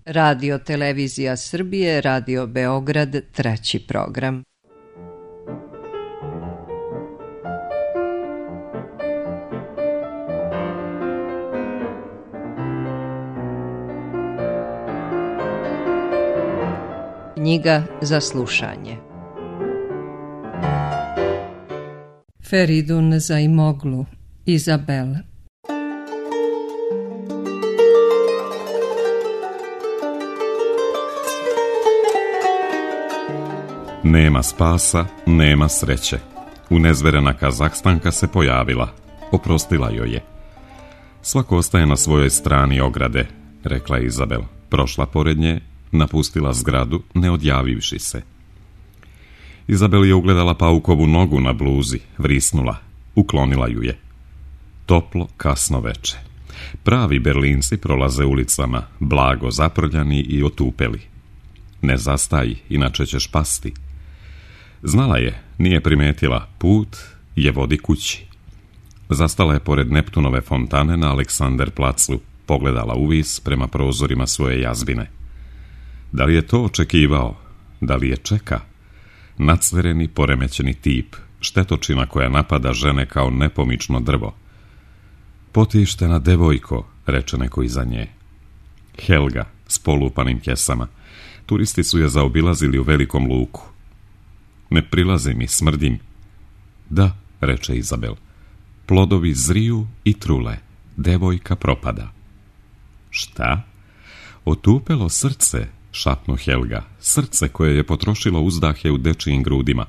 Radio Televizija Srbije, Radio Beograd, 3. program. Knjiga za slušanje. Feridun Zaimoglu, Izabel. Nema spasa, nema sreće. Unezverena Kazahstanka se pojavila. Oprostila joj je. Svako ostaje na svojoj strani ograde, rekla je Izabel. Prošla pored nje, napustila zgradu, ne odjavivši se. Izabel je ugledala paukovu nogu na bluzi, vrisnula, uklonila ju je. Toplo, kasno veče. Pravi Berlinci prolaze ulicama, blago zaprljani i otupeli. Ne zastaji, inače ćeš pasti. Znala je, nije primetila, put je vodi kući. Zastala je pored Neptunove fontane na Aleksanderplacu, pogledala uvis prema prozorima svoje jazbine. Da li je to očekivao? Da li je čeka? Nacvereni, poremećeni tip, štetočina koja napada žene kao nepomično drvo. Potištena devojko, reče neko iza nje. Helga, s polupanim kesama. Turisti su je zaobilazili u velikom luku. Ne prilazi mi, smrdim. Da, reče Izabel. Plodovi zriju i trule. Devojka propada. Šta? Otupelo srce, šapnu Helga. Srce koje je potrošilo uzdahe u dečijim grudima.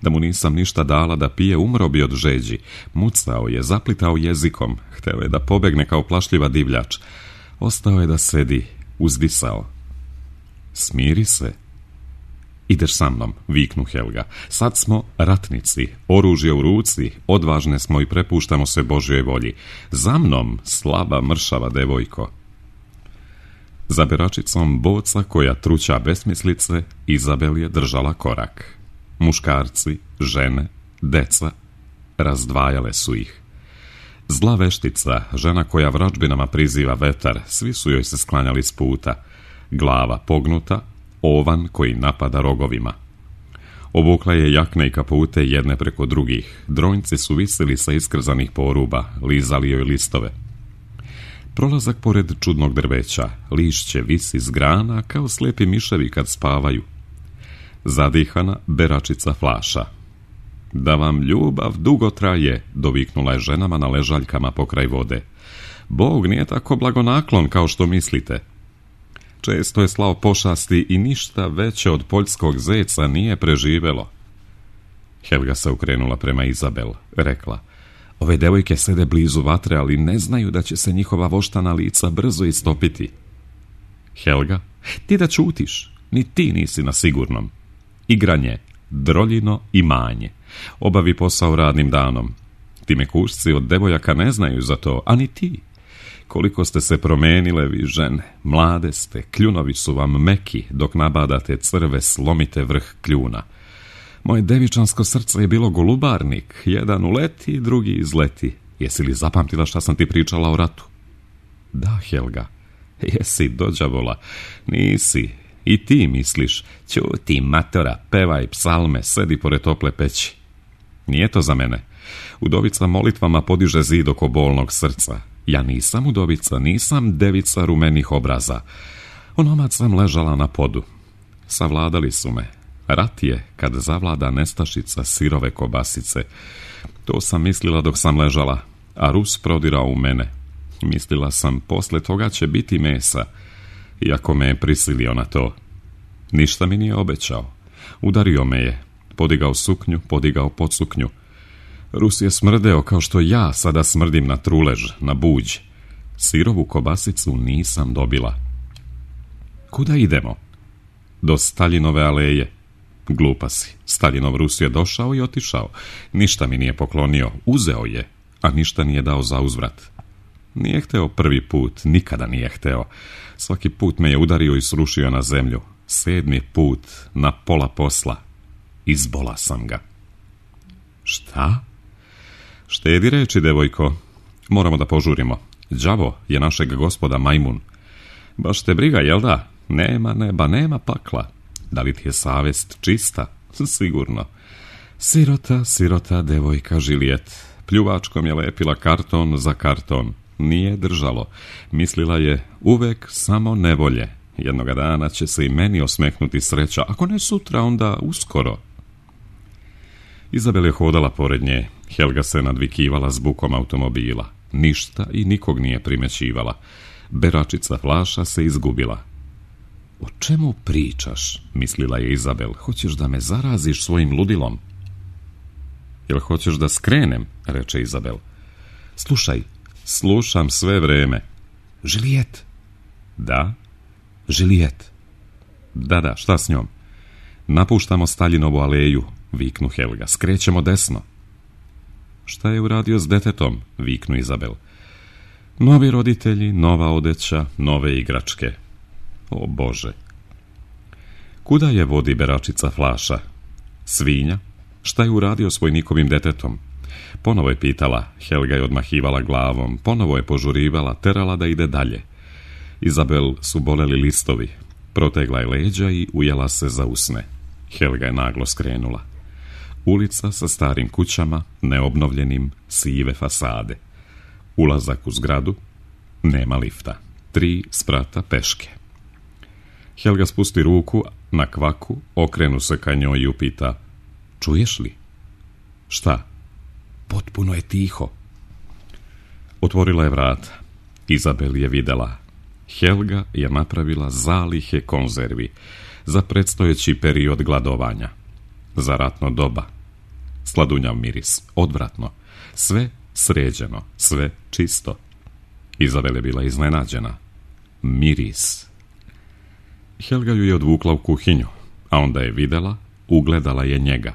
Da mu nisam ništa dala da pije, umro bi od žeđi. Mucao je, zaplitao jezikom. Hteo je da pobegne kao plašljiva divljač. Ostao je da sedi, uzdisao. Smiri se. Ideš sa mnom, viknu Helga. Sad smo ratnici, oružje u ruci, odvažne smo i prepuštamo se Božjoj volji. Za mnom, slaba, mršava devojko. Za beračicom boca koja truća besmislice, Izabel je držala korak. Muškarci, žene, deca, razdvajale su ih. Zla veštica, žena koja vračbinama priziva vetar, svi su joj se sklanjali s puta. Glava pognuta, ovan koji napada rogovima. Obukla je jakne i kapute jedne preko drugih. Dronjci su visili sa iskrzanih poruba, lizali joj listove. Prolazak pored čudnog drveća, lišće visi s grana kao slepi miševi kad spavaju. Zadihana beračica flaša. Da vam ljubav dugo traje, doviknula je ženama na ležaljkama pokraj vode. Bog nije tako blagonaklon kao što mislite. Često je slao pošasti i ništa veće od poljskog zeca nije preživelo. Helga se okrenula prema Izabel, rekla. Ove devojke sede blizu vatre, ali ne znaju da će se njihova voštana lica brzo istopiti. Helga, ti da ćutiš, ni ti nisi na sigurnom. Igranje, droljino i manje. Obavi posao radnim danom. Ti mekušci od devojaka ne znaju za to, a ni ti. Koliko ste se promenile vi žene, mlade ste, kljunovi su vam meki, dok nabadate crve, slomite vrh kljuna. Moje devičansko srce je bilo golubarnik, jedan uleti, drugi izleti. Jesi li zapamtila šta sam ti pričala o ratu? Da, Helga. Jesi, dođavola. Nisi. I ti misliš, ćuti matora, pevaj psalme, sedi pored tople peći. Nije to za mene. Udovica molitvama podiže zid oko bolnog srca. Ja nisam udovica, nisam devica rumenih obraza. Onomad sam ležala na podu. Savladali su me. Rat je kad zavlada nestašica sirove kobasice. To sam mislila dok sam ležala, a Rus prodirao u mene. Mislila sam, posle toga će biti mesa, iako me je prisilio na to. Ništa mi nije obećao. Udario me je, podigao suknju, podigao podsuknju. Rus je smrdeo kao što ja sada smrdim na trulež, na buđ. Sirovu kobasicu nisam dobila. Kuda idemo? Do Staljinove aleje. Glupa si. Staljinov Rus je došao i otišao. Ništa mi nije poklonio. Uzeo je, a ništa nije dao za uzvrat. Nije hteo prvi put, nikada nije hteo. Svaki put me je udario i srušio na zemlju. 7. put, na pola posla. Izbola sam ga. Šta? Štedi reči, devojko. Moramo da požurimo. Đavo je našeg gospoda majmun. Baš te briga, jel da? Nema neba, nema pakla. Da li ti je savjest čista? Sigurno. Sirota, devojka Žilijet. Pljuvačkom je lepila karton za karton. Nije držalo. Mislila je uvek samo nevolje. Jednoga dana će se i meni osmehnuti sreća. Ako ne sutra, onda uskoro. Izabel je hodala pored nje. Helga se nadvikivala s bukom automobila. Ništa i nikog nije primećivala. Beračica Flaša se izgubila. O čemu pričaš, mislila je Izabel. Hoćeš da me zaraziš svojim ludilom? Jel hoćeš da skrenem, reče Izabel. Slušaj, slušam sve vreme. Žilijet? Da. Žilijet? Da, šta s njom? Napuštamo Staljinovu aleju, viknu Helga. Skrećemo desno. Šta je uradio s detetom, viknu Izabel. Novi roditelji, nova odeća, nove igračke. O Bože. Kuda je vodi Beračica Flaša? Svinja? Šta je uradio s vojnikovim detetom? Ponovo je pitala, Helga je odmahivala glavom, ponovo je požurivala, terala da ide dalje. Izabel su boleli listovi, protegla je leđa i ujela se za usne. Helga je naglo skrenula. Ulica sa starim kućama, neobnovljenim, sive fasade. Ulazak u zgradu, nema lifta. 3 sprata peške. Helga spusti ruku na kvaku, okrenu se ka njoj i upita: čuješ li? Šta? Potpuno je tiho. Otvorila je vrata. Izabel je videla. Helga je napravila zalihe konzervi za predstojeći period gladovanja. Za ratno doba. Sladunjav miris, odvratno. Sve sređeno, sve čisto. Izabel je bila iznenađena. Miris. Helga ju je odvukla u kuhinju, a onda je videla, ugledala je njega.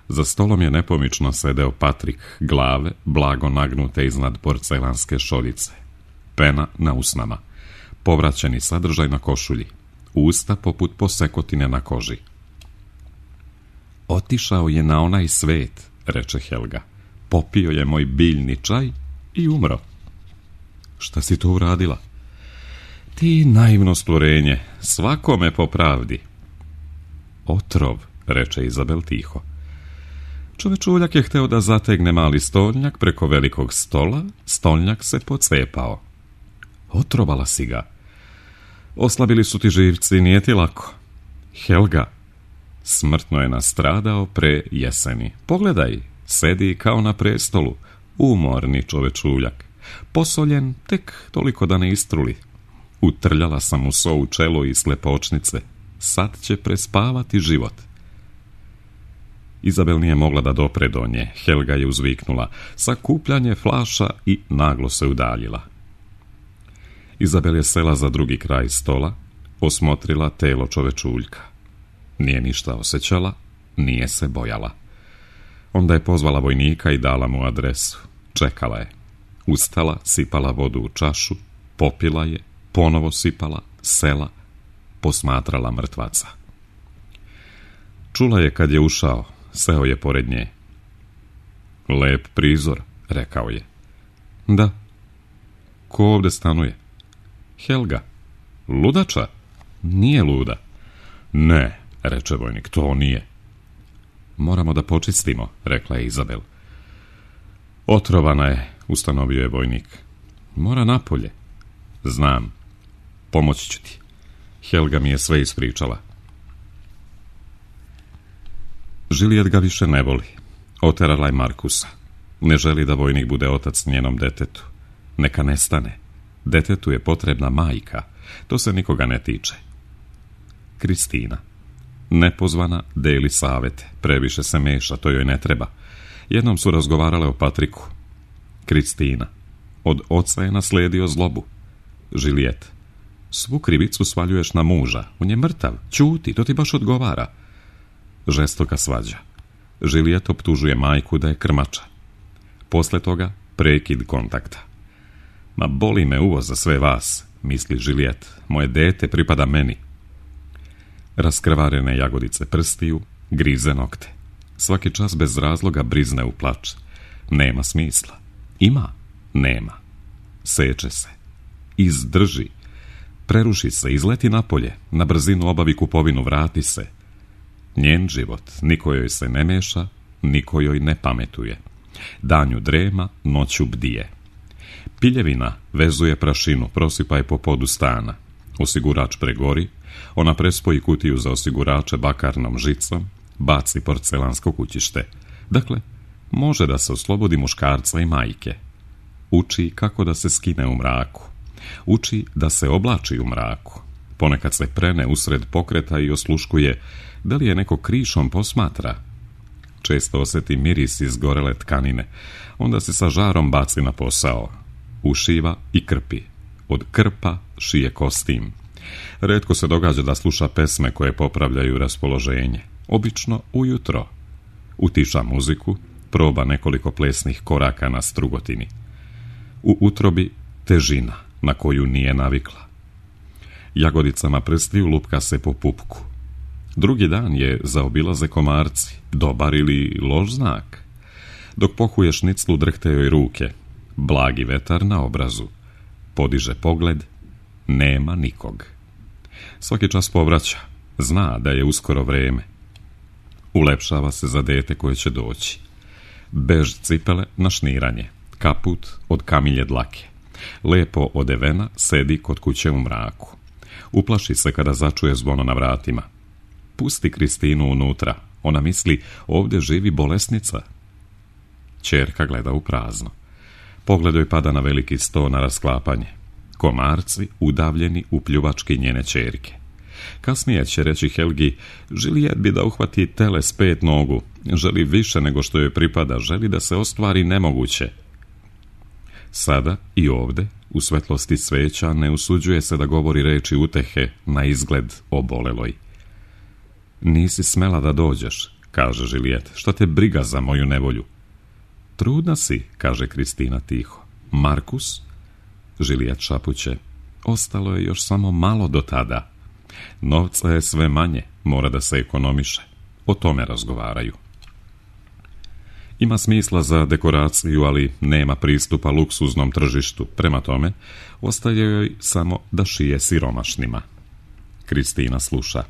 Za stolom je nepomično sedeo Patrik, glave blago nagnute iznad porcelanske šoljice. Pena na usnama. Povraćeni sadržaj na košulji. Usta poput posekotine na koži. Otišao je na onaj svet, reče Helga. Popio je moj biljni čaj i umro. Šta si to uradila? Ti naivno stvorenje, svakome po pravdi. Otrov, reče Izabel tiho. Čovečuljak je hteo da zategne mali stolnjak preko velikog stola, stolnjak se pocepao. Otrovala si ga. Oslabili su ti živci, nije ti lako. Helga, smrtno je nastradao pre jeseni. Pogledaj, sedi kao na prestolu, umorni čovečuljak. Posoljen tek toliko da ne istruli. Utrljala sam mu so u čelo i slepočnice. Sad će prespavati život. Izabel nije mogla da dopre do nje. Helga je uzviknula: sakupljanje flaša, i naglo se udaljila. Izabel je sela za drugi kraj stola, osmotrila telo čovečuljka. Nije ništa osjećala, nije se bojala. Onda je pozvala vojnika i dala mu adresu. Čekala je. Ustala, sipala vodu u čašu, popila je, ponovo sipala, sela, posmatrala mrtvaca. Čula je kad je ušao, seo je pored nje. Lep prizor, rekao je. Da. Ko ovde stanuje? Helga. Ludača? Nije luda. Ne, reče vojnik, to nije. Moramo da počistimo, rekla je Izabel. Otrovana je, ustanovio je vojnik. Mora napolje. Znam. Pomoći ću ti. Helga mi je sve ispričala. Žilijet ga više ne voli. Oterala je Markusa. Ne želi da vojnik bude otac njenom detetu. Neka nestane. Detetu je potrebna majka. To se nikoga ne tiče. Kristina. Nepozvana deli savete. Previše se meša, to joj ne treba. Jednom su razgovarale o Patriku. Kristina. Od oca je nasledio zlobu. Žilijet. Svu krivicu svaljuješ na muža. On je mrtav. Ćuti, to ti baš odgovara. Žestoka svađa. Žilijet optužuje majku da je krmača. Posle toga prekid kontakta. Ma boli me uvo za sve vas, misli Žilijet. Moje dete pripada meni. Raskrvarene jagodice prstiju, grize nokte. Svaki čas bez razloga brizne u plač. Nema smisla. Ima? Nema. Seče se. Izdrži. Preruši se, izleti napolje, na brzinu obavi kupovinu, vrati se. Njen život, niko joj se ne meša, niko joj ne pametuje. Danju drema, noću bdije. Piljevina vezuje prašinu, prosipa je po podu stana. Osigurač pregori, ona prespoji kutiju za osigurače bakarnom žicom, baci porcelansko kućište. Dakle, može da se oslobodi muškarca i majke. Uči kako da se skine u mraku. Uči da se oblači u mraku. Ponekad se prene usred pokreta i osluškuje da li je neko krišom posmatra. Često osjeti miris izgorele tkanine. Onda se sa žarom baci na posao. Ušiva i krpi. Od krpa šije kostim. Retko se događa da sluša pesme koje popravljaju raspoloženje. Obično ujutro. Utiša muziku, proba nekoliko plesnih koraka na strugotini. U utrobi težina na koju nije navikla. Jagodicama prstiju lupka se po pupku. Drugi dan je zaobilaze komarci, dobar ili loš znak. Dok pohuje šniclu drhte joj ruke, blagi vetar na obrazu. Podiže pogled, nema nikog. Svaki čas povraća, zna da je uskoro vreme. Ulepšava se za dete koje će doći. Bež cipele na šniranje, kaput od kamilje dlake. Lepo odevena sedi kod kuće u mraku. Uplaši se kada začuje zvono na vratima. Pusti Kristinu unutra, ona misli ovdje živi bolesnica. Ćerka gleda u prazno. Pogled joj pada na veliki sto na rasklapanje. Komarci udavljeni u pljuvački njene ćerke. Kasnije će reći Helgi, Žilijet bi da uhvati tele s 5 nogu, želi više nego što joj pripada, želi da se ostvari nemoguće. Sada i ovde, u svetlosti sveća, ne usuđuje se da govori reči utehe na izgled oboleloj. Nisi smela da dođeš, kaže Žilijet, šta te briga za moju nevolju? Trudna si, kaže Kristina tiho. Markus? Žilijet šapuće, ostalo je još samo malo do tada. Novca je sve manje, mora da se ekonomiše. O tome razgovaraju. Ima smisla za dekoraciju, ali nema pristupa luksuznom tržištu. Prema tome, ostaje joj samo da šije siromašnima. Kristina sluša.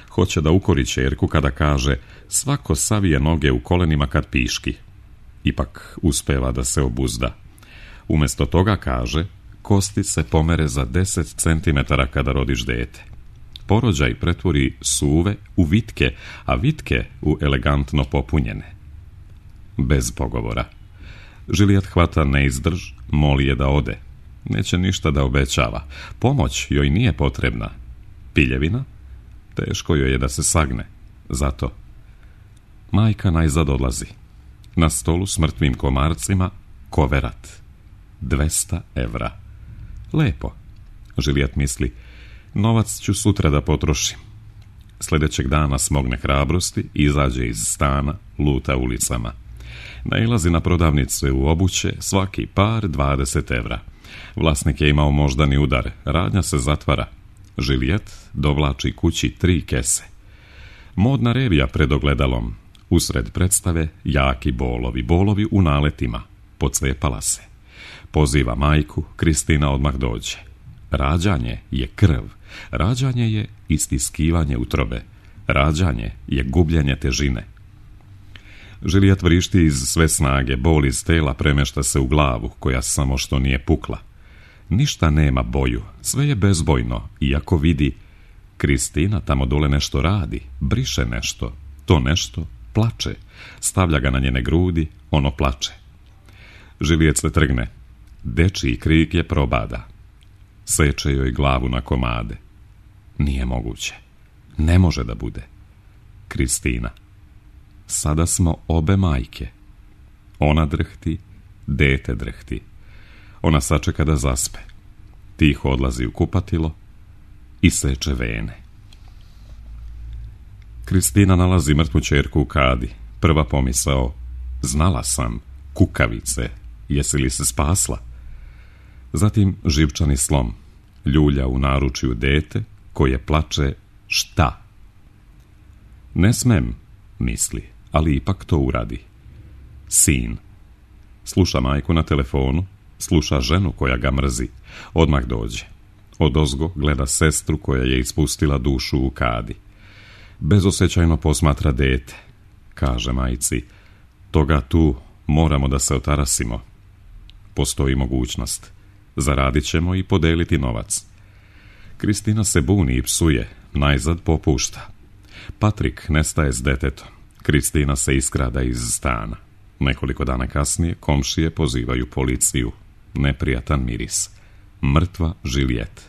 Hoće da ukori ćerku kada kaže svako savije noge u kolenima kad piški. Ipak uspeva da se obuzda. Umjesto toga kaže, kosti se pomere za 10 centimetara kada rodiš dete. Porođaj pretvori suve u vitke, a vitke u elegantno popunjene. Bez pogovora. Žilijet hvata neizdrž, moli je da ode. Neće ništa da obećava. Pomoć joj nije potrebna. Piljevina? Teško joj je da se sagne. Zato. Majka najzad odlazi. Na stolu s mrtvim komarcima koverat. 200 evra. Lepo. Žilijet misli, novac ću sutra da potrošim. Sljedećeg dana smogne hrabrosti, izađe iz stana, luta ulicama. Nailazi na prodavnice u obuće, svaki par 20 evra. Vlasnik je imao moždani udar, radnja se zatvara. Žilijet dovlači kući 3 kese. Modna revija pred ogledalom. Usred predstave jaki bolovi u naletima. Pocepala se. Poziva majku, Kristina odmah dođe. Rađanje je krv. Rađanje je istiskivanje utrobe. Rađanje je gubljenje težine. Žilijet vrišti iz sve snage, bol iz tela premešta se u glavu, koja samo što nije pukla. Ništa nema boju, sve je bezbojno, iako vidi, Kristina tamo dole nešto radi, briše nešto, to nešto plače, stavlja ga na njene grudi, ono plače. Žilijet se trgne, dečiji krik je probada. Seče joj glavu na komade. Nije moguće, ne može da bude. Kristina. Sada smo obe majke. Ona drhti, dete drhti. Ona sačeka da zaspe. Tiho odlazi u kupatilo i seče vene. Kristina nalazi mrtvu ćerku u kadi. Prva pomisao, znala sam, kukavice, jesi li se spasla? Zatim živčani slom, ljulja u naručju dete koje plače šta? Ne smem, misli, ali ipak to uradi. Sin. Sluša majku na telefonu, sluša ženu koja ga mrzi. Odmah dođe. Odozgo gleda sestru koja je ispustila dušu u kadi. Bezosjećajno posmatra dete. Kaže majci, toga tu moramo da se otarasimo. Postoji mogućnost. Zaradit ćemo i podeliti novac. Kristina se buni i psuje, najzad popušta. Patrik nestaje s detetom. Kristina se iskrada iz stana. Nekoliko dana kasnije komšije pozivaju policiju. Neprijatan miris. Mrtva Juliette.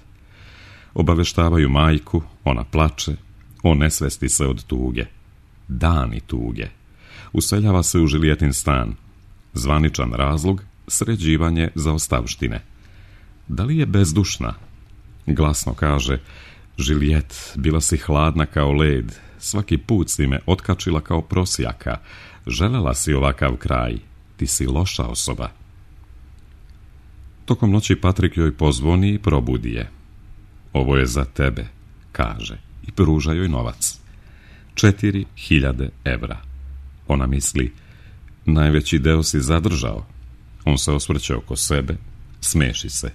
Obaveštavaju majku, ona plače, on nesvesti se od tuge. Dani tuge. Useljava se u Julietin stan. Zvaničan razlog, sređivanje zaostavštine. Da li je bezdušna? Glasno kaže, Juliette, bila si hladna kao led, svaki put si me otkačila kao prosjaka, želela si ovakav kraj, ti si loša osoba. Tokom noći Patrik joj pozvoni i probudi je. Ovo je za tebe, kaže, i pruža joj novac. 4.000 evra. Ona misli, najveći deo si zadržao. On se osvrće oko sebe, smeši se.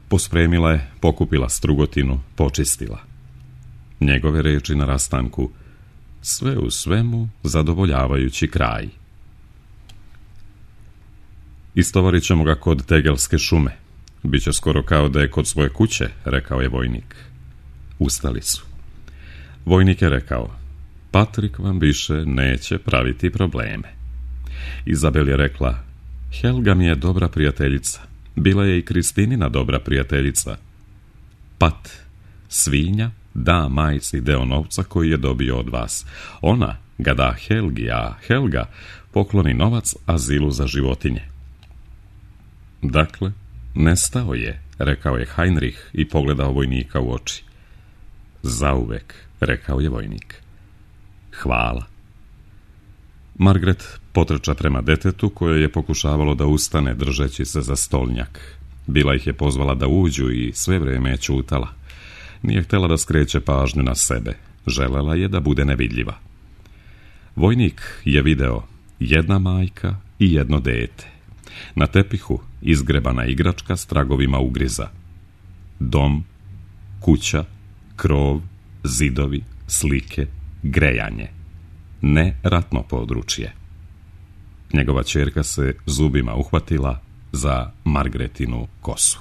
Pospremila je, pokupila strugotinu, počistila. Njegove reči na rastanku, sve u svemu zadovoljavajući kraj. Istovarit ćemo ga kod Tegelske šume. Biće skoro kao da je kod svoje kuće, rekao je vojnik. Ustali su. Vojnik je rekao, Patrik vam više neće praviti probleme. Izabel je rekla, Helga mi je dobra prijateljica. Bila je i Kristinina dobra prijateljica. Pat, svinja, da majci deo novca koji je dobio od vas. Ona ga da Helgi, a Helga pokloni novac azilu za životinje. Dakle, nestao je, rekao je Heinrich i pogledao vojnika u oči. Zauvek, rekao je vojnik. Hvala. Margaret potrča prema detetu koje je pokušavalo da ustane držeći se za stolnjak. Bila ih je pozvala da uđu i sve vrijeme je ćutala. Nije htjela da skreće pažnju na sebe. Želela je da bude nevidljiva. Vojnik je video jedna majka i jedno dete. Na tepihu izgrebana igračka s tragovima ugriza. Dom, kuća, krov, zidovi, slike, grejanje. Ne ratno područje. Njegova ćerka se zubima uhvatila za Margaretinu kosu.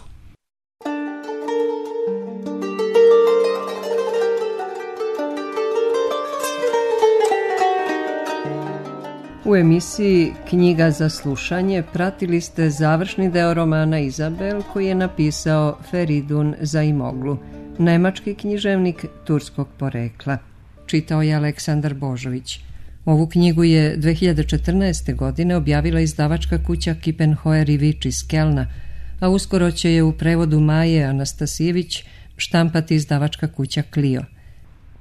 U emisiji Knjiga za slušanje pratili ste završni deo romana Izabel koji je napisao Feridun Zaimoglu, nemački književnik turskog porekla. Čitao je Aleksandar Božović. Ovu knjigu je 2014. godine objavila izdavačka kuća Kippenhoer i Vič iz Kelna, a uskoro će je u prevodu Maje Anastasijević štampati izdavačka kuća Clio.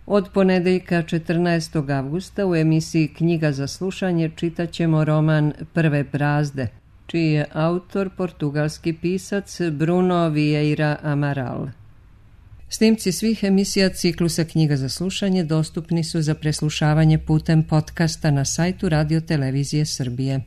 Od ponedeljka 14. avgusta u emisiji Knjiga za slušanje čitat ćemo roman Prve brazde, čiji je autor portugalski pisac Bruno Vieira Amaral. Snimci svih emisija ciklusa Knjiga za slušanje dostupni su za preslušavanje putem podcasta na sajtu Radio Televizije Srbije.